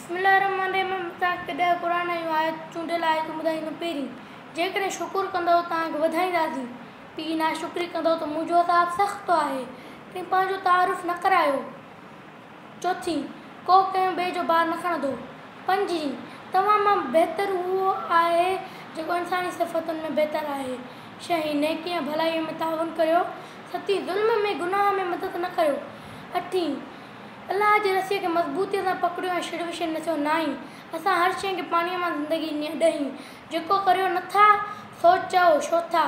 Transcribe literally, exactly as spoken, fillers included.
بسم الله الرحمٰن الرحيم. توهان کي ڏهه قرآن جون آيتون چونڊيل آيتون ٻڌائيندم. پهرين، جيڪڏهن شڪر ڪندؤ توهان کي وڌائينداسين، ٻي، ناشڪري ڪندؤ ته منهنجو عذاب سخت آهي. ٽين، پنهنجو تعارف نه ڪرايو. چوٿين، ڪو ڪنهن ٻئي جو بار نه کڻندو. پنجين، توهان مان بهتر اهو آهي جيڪو انساني صفتن ۾ بهتر آهي. ڇهين، نيڪي ۽ ڀلائيء ۾ تعاون ڪريو. ستين، ظلم ۾ گناهه ۾ مدد نه ڪريو. اٺين، الله جي رسيء کي مضبوطيء سان پڪڙيو ۽ شڙ وشڙ نه ٿيو. نائين، اسان هر شيء کي پاڻيء مان زندگي ڏني. ڏهين، جيڪو ڪريو نه ٿا سو چئو ڇو ٿا؟